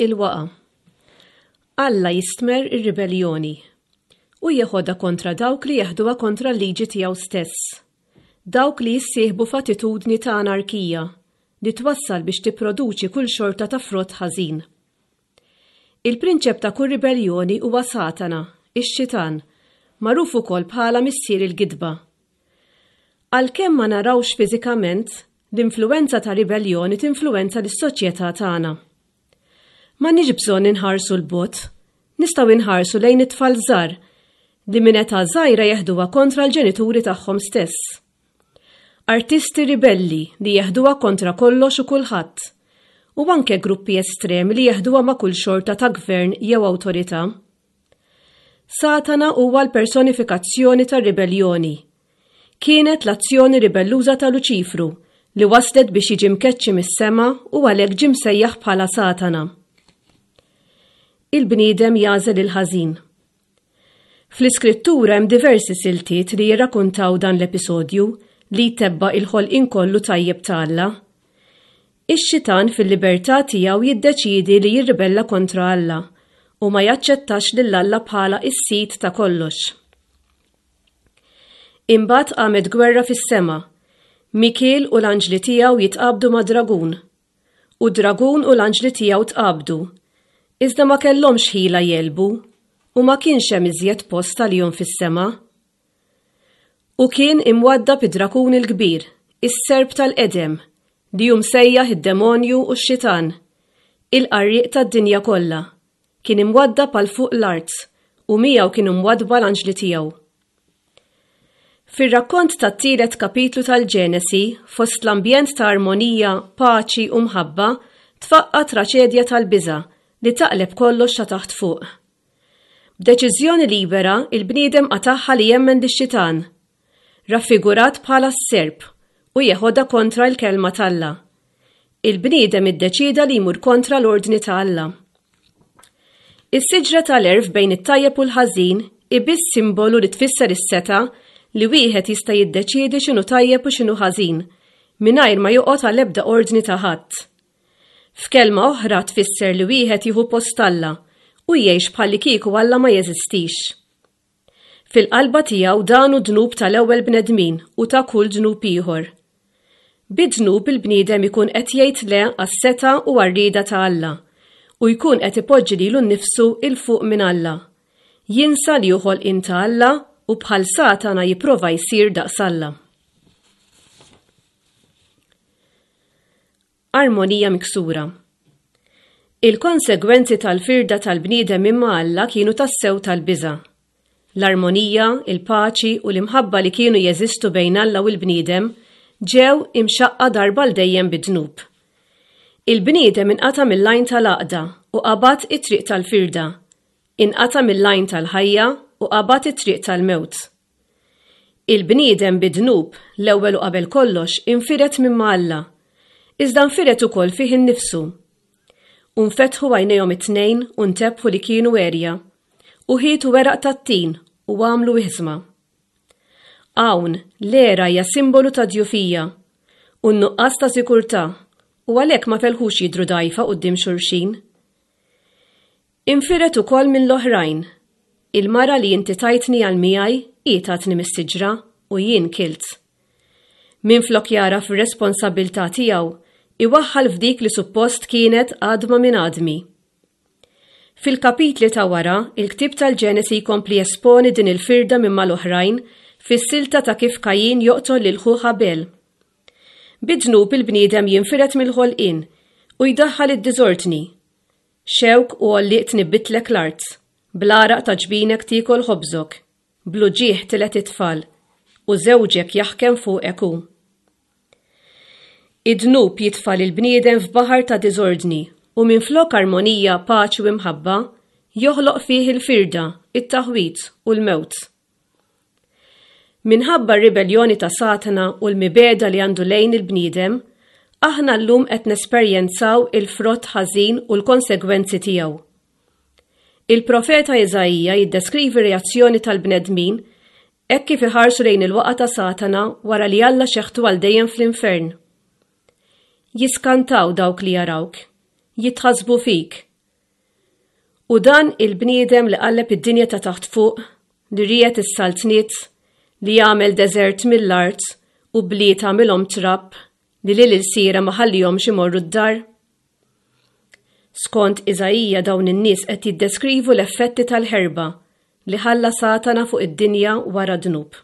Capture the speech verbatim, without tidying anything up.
Il-waqa. Alla jistmerr ir-ribelljoni u jeħodha kontra dawk li jeħduha kontra l-liġi tiegħu stess. Dawk li jissieħbu f'attitudni ta' anarkija li twassal biex tipproduċi kull xorta ta' frott ħażin. Il-prinċep ta' kull ribelljoni huwa Satana, ix-xitan, magħruf ukoll bħala missier il-gidba. Għalkemm ma narawx fiżikament, l-influwenza ta' ribelljoni tinfluwenza lis-soċjetà tagħna. M'għandniex bżonn inħarsu 'l bogħod, nistgħu inħarsu lejn it-tfal żgħar li minn età żgħira jeħduha kontra l-ġenituri tagħhom stess. Artisti ribelli li jeħduha kontra kollox u kulħadd, u anke gruppi estremi li jeħduha ma' kull xorta ta' gvern jew awtorità. Satana huwa l-personifikazzjoni tar-ribelljoni. Kienet l-azzjoni ribelluża ta' Luċifru li waslet biex jiġi mkeċċi mis-sema u għalhekk ġie msejjaħ bħala Satana. Il-bniedem jagħżel il-ħażin. Fl-iskrittura hemm diversi siltiet li jirrakuntaw dan l-episodju li jtebba' il-ħolqien kollu tajjeb ta' Alla. Ix-xitan fil-libertà tiegħu jiddeċiedi li jirribella kontra Alla u ma jaċċettax lil Alla bħala s-sid ta' kollox. Imbagħad qamet gwerra fis-sema. Mikiel u l-anġli tiegħu jitqabdu ma' dragun. U dragun u l-anġli tiegħu tqabdu. Iżda ma kellhomx ħila jegħlbu u ma kienx hemm iżjed post għalihom fis-sema. U kien imwaddab id-drakun il-kbir, is-serp tal-qedem, li hu msejjaħ id-demonju u x-xitan, il-qarrieq tad-dinja kollha. Kien imwaddab għal fuq l-art u miegħu kienu mwaddba l-anġli tiegħu. Fir-rakkont tat-tielet kapitlu tal-Ġenesi, fost l-ambjent ta' armonija, paċi u mħabba, tfaqqa traċedja tal-biża' li taqleb kollox ta' taħt fuq. B'deċiżjoni libera, il-bniedem qatagħha li jemmen lix-xitan, raffigurat bħala s-serp, u jeħodha kontra l-kelma t'Alla. Il-bniedem iddeċieda li jmur kontra l-ordni ta' Alla. Is-siġra tal-għerf bejn it-tajjeb u l-ħażin hi biss simbolu li tfisser is-setgħa li wieħed jista' jiddeċiedi x'inhu tajjeb u x'inhu ħażin, mingħajr ma joqgħod għal ebda ordni ta' ħadd. F'kelma oħra tfisser li wieħed jieħu post Alla u jgħix bħallikieku Alla ma jeżistix. Fil-qalba tiegħu dan hu dnub tal-ewwel bnedmin u ta' kull dnub ieħor. Bid-dnub il-bniedem ikun qed jgħid le għas-setgħa u għar-rieda ta' Alla u jkun qed ipoġġi lilu nnifsu 'l fuq minn Alla. Jinsa li hu ħolqien ta' Alla u bħal Satana jipprova jsir daqs Alla. Armonija miksura. Il-konsegwenzi tal-firda tal-bniedem imma Alla kienu tassew tal-biża'. L-armonija, il-paċi u l-imħabba li kienu jeżistu bejn Alla u l-bniedem ġew imxaqqa darba l dejjem bid-dnub. Il-bniedem inqata' mill-għajn tal-għaqda u qabad it-triq tal-firda, inqata' mill-għajn tal-ħajja u qabad it-triq tal-mewt. Il-bniedem bid-dnub l-ewwel u qabel kollox infired minn ma' Alla, iżda nfired ukoll fih innifsu. U nfetħu għajnejhom it-tnejn u ntebħu li kienu għerja, u ħietu weraq tat-tin u għamlu iħżma. Hawn l-għera hija simbolu ta' djufija u n-nuqqas ta' sikurtà, u għalhekk ma felħux jidhru dgħajfa quddiem xulxin. Infired ukoll minn l-oħrajn. Il-mara li inti tajtni għal miegħi hi tatni mis-siġra u jien kilt. Minflok jara fir-responsabilità tiegħu, iwaħħal f'dik li suppost kienet għadma minn għadmi. Fil-kapitli ta' wara, il-ktieb tal-Ġenesi jkompli jesponi din il-firda minn mal-oħrajn fis-silta ta' kif Kajin joqtol lil ħuh Abel. Bid-dnub il-bniedem jinfired mill-ħolqien u jdaħħal id-diżordni. Xewk u għollieq tnibbitlek l-art, bl-għaraq ta' ġbinek tiekol ħobżok, bl-uġigħ tilet it-tfal, u żewġek jaħkem fuqek hu. Id-dnub jitfa' lill-bniedem f'baħar ta' diżordni u minflok armonija, paċi u imħabba, joħloq fih il-firda, it-taħwit u l-mewt. Minħabba r-ribelljoni ta' Satana u l-mibegħda li għandu lejn il-bniedem, aħna llum qed nesperjenzaw il-frott ħażin u l-konsegwenzi tiegħu. Il-profeta Iżaija jiddeskrivi reazzjoni tal-bnedmin hekk kif iħarsu lejn il-waqa ta' Satana wara li Alla xeħtu għal dejjem fl-infern. Jiskantaw dawk li jarawk, jitħassbu fik, U dan il-bniedem li qalleb id-dinja ta' taħt fuq, li riegħed is-saltniet, li jagħmel deżert mill-art u bliet għamilhom trab, li lil ilsiera ma ħallihomx imorru d-dar? Skont Iżaija, dawn in-nies qed jiddeskrivu l-effetti tal-ħerba li ħalla Satana fuq id-dinja wara d-dnub.